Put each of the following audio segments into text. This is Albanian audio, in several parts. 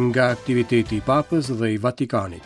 Nga aktiviteti i Papës dhe i Vatikanit.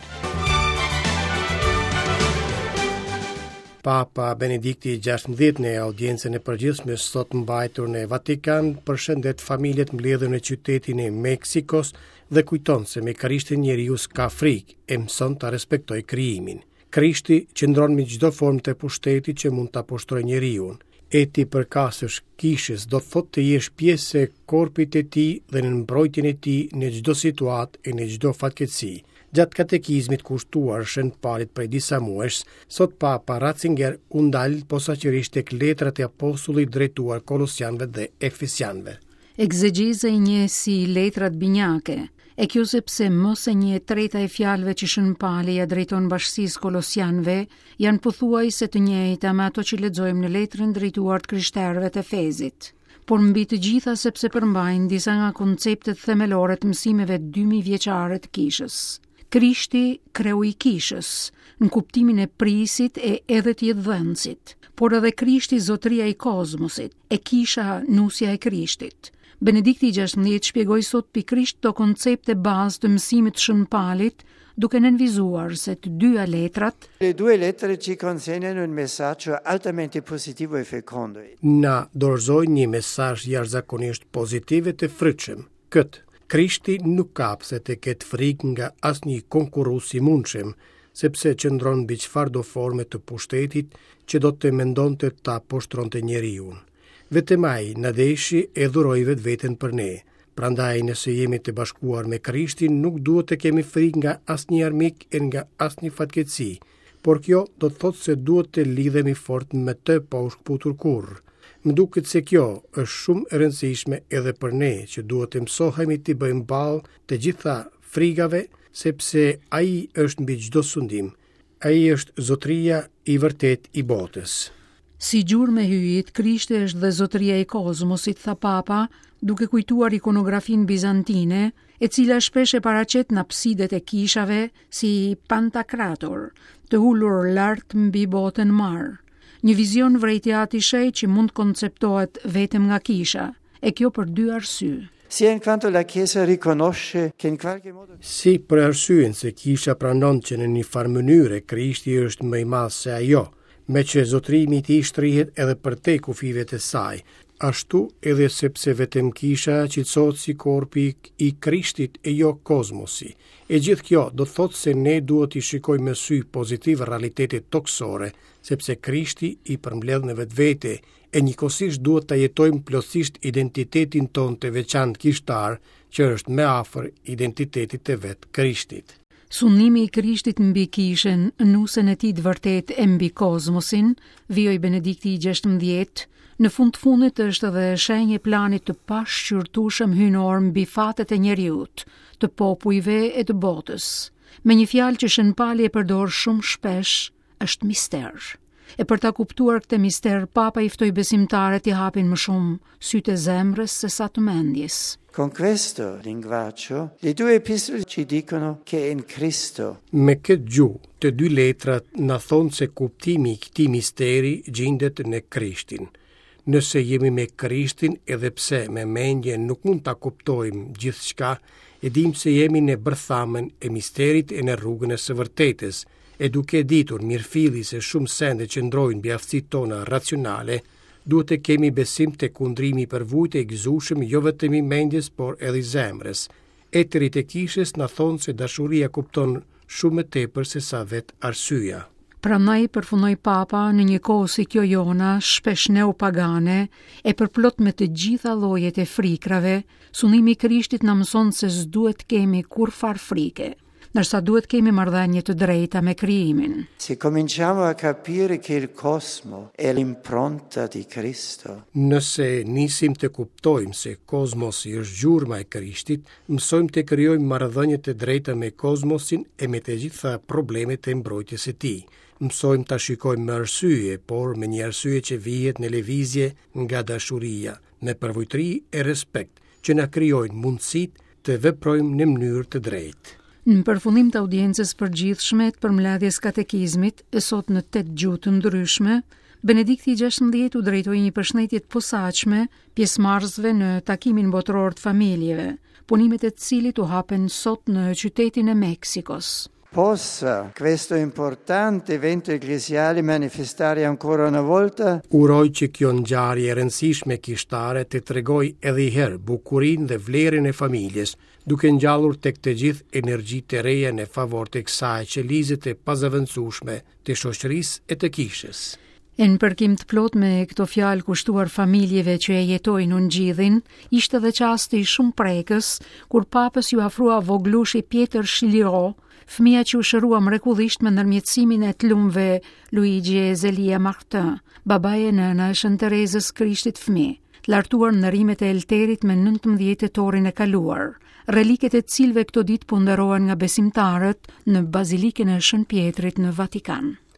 Papa Benedikti XVI në audiencën e përgjithshme sot mbajtur në Vatikan përshëndet familjet mbledhur në qytetin e Meksikos dhe kujton se me Krishtin njeriu s'ka frikë e mëson ta respektojë krijimin. Krishti qëndron mbi çdo formë të pushtetit që mund ta poshtrojë njeriun. E t'i përkasësh kishës do të thotë të jesh pjesë e korpit të tij dhe në mbrojtjen e tij në çdo situatë e në çdo fatkeqësi. Gjatë katekizmit kushtuar Shën Palit prej disa muajsh, sot Papa Ratzinger u ndal posaçërisht tek letrat e apostullit drejtuar Kolosianëve dhe Efesianëve. Ekzegjeza i njeh si letrat binjake, e kjo sepse më se një e treta e fjalëve që Shën Pali ia drejton bashkësisë kolosianëve janë pothuajse të njëjta me ato që lexojmë në letrën drejtuar të krishterëve të Efezit. Por mbi të gjitha sepse përmbajnë disa nga konceptet themelore të mësimeve 2000 vjeçare të kishës. Krishti, kreu i kishës, në kuptimin e prijësit e edhe të jetëdhënësit, por edhe Krishti zotëria i kozmosit, e kisha nusja e Krishtit. Benedikti i 16 shpjegoi sot pikërisht këto koncepte bazë të mësimit të Shën Palit, duke nënvizuar se të dyja letrat Le due lettere ci consegnano un messaggio altamente positivo e fecondo. Na dorëzojnë një mesazh jashtëzakonisht pozitiv e të frytshëm. Këtë, Krishti nuk ka pse të ketë frikë nga asnjë konkurrues i mundshëm, sepse qëndron mbi çfarëdo forme të pushtetit që do të mendonte ta poshtronte njeriun. Vetëm ai na deshi e dhuroi vetveten për ne. Prandaj nëse jemi të bashkuar me Krishtin, nuk duhet të kemi frikë nga asnjë armik e nga asnjë fatkeqësi, por kjo do të thotë se duhet të lidhemi fort me të pa u shkëputur kurrë. Më duket se kjo është shumë e rëndësishme edhe për ne që duhet të mësohemi t'i bëjmë ballë të gjitha frigave, sepse ai është mbi çdo sundim. Ai është zotëria i vërtetë i botës. Si gjurmë e hyjit, Krishti është dhe zotëria i kozmosit, tha Papa, duke kujtuar ikonografinë bizantine, e cila shpesh e paraqet në apsidet e kishave si Pantakrator, të ulur lart mbi botën mbarë. Një vizion vërejti Ati i Shenjtë që mund të konceptohet vetëm nga kisha, e kjo për dy arsye. Sia in quanto la Chiesa riconosce che in qualche modo Si për arsyen se kisha pranon që në një farë mënyre Krishti është më i madh se ajo, meqë zotërimi i tij shtrihet edhe përtej kufijve të saj, ashtu edhe sepse vetëm kisha cilësohet si korpi i Krishtit e jo kozmosi. E gjithë kjo do të thotë se ne duhet t'i shikojmë me sy pozitiv realitetet tokësore, sepse Krishti i përmbledh në vetvete, e njëkohësisht duhet ta jetojmë plotësisht identitetin tonë të veçantë kishtar, që është më afër identitetit të vetë Krishtit. Sundimi i Krishtit mbi kishën, nusen e tij të vërtetë e mbi kozmosin, vijoi Benedikti i 16, në fund të fundit është edhe shenjë e planit të pashqyrtueshëm hyjnor mbi fatet e njeriut, të popujve e të botës. Me një fjalë që Shën Pali e përdor shumë shpesh, është mister. E për ta kuptuar këtë mister, Papa i ftoi besimtarët t'i hapin më shumë sytë e zemrës se sa të mendjes. Con questo linguaggio le due epistole ci dicono che in Cristo. Me këtë gjuhë, të dy letrat na thonë se kuptimi i këtij misteri gjindet në Krishtin. Nëse jemi me Krishtin, edhe pse me mendje nuk mund ta kuptojmë gjithçka, e dimë se jemi në bërthamën e misterit e në rrugën e së vërtetës, e duke e ditur mirëfilli se shumë sende qëndrojnë mbi aftësitë tona racionale, duhet të kemi besim te kundrimi i përvujtë e i gëzueshëm jo vetëm i mendjes, por edhe i zemrës. Etërit e kishës na thonë se dashuria kupton shumë më tepër se sa vetë arsyeja. Prandaj, përfundoi Papa, në një kohë si kjo jona, shpesh neopagane, e përplot me të gjitha llojet e frikrave, sundimi i Krishtit na mëson se s'duhet të kemi kurrfarë frike. ndërsa duhet kemi marrëdhënie të drejta me krijimin. Se cominciamo a capire che il cosmo è l'impronta di Cristo. Nëse nisim të kuptojmë se kozmosi është gjurma e Krishtit, mësojmë të krijojmë marrëdhënie të drejta me kozmosin e me të gjitha problemet e mbrojtjes së tij. Mësojmë ta shikojmë me arsye, por me një arsye që vihet në lëvizje nga dashuria, me përvujtëri e respekt, që na krijojnë mundësitë të veprojmë në mënyrë të drejtë. Në përfundim të audiencës së përgjithshme të përmbledhjes katekizmit, e sot në 8 gjuhë të ndryshme, Benedikti i 16 u drejtoi një përshëndetje të posaçme pjesëmarrësve në takimin botëror të familjeve, punimet e të cilit u hapen sot në qytetin e Meksikos. Possa questo importante evento ecclesiale manifestare ancora una volta Uroj që kjo ngjarje e rëndësishme kishtare të tregojë edhe një herë bukurinë dhe vlerën e familjes, duke ngjallur tek të gjithë energji të reja në favor të kësaj qelize të pazëvendësueshme të shoqërisë e të kishës. E në përkim të plotë me këto fjalë kushtuar familjeve që e jetojnë ungjillin, ishte dhe çasti shumë prekës kur papës iu afrua vogëlushi Pjetër Schiliro, fëmija që u shërua mrekullisht me ndërmjetësimin e të lumëve Luigi e Zelia Martin, babai e nëna e Shën Terezës Krishtit fëmijë, të lartuar në nderimet e Elterit me 19 tetorin e kaluar, reliket e të cilëve këto ditë po nderohen nga besimtarët në Bazilikën e Shën Pjetrit në Vatikan.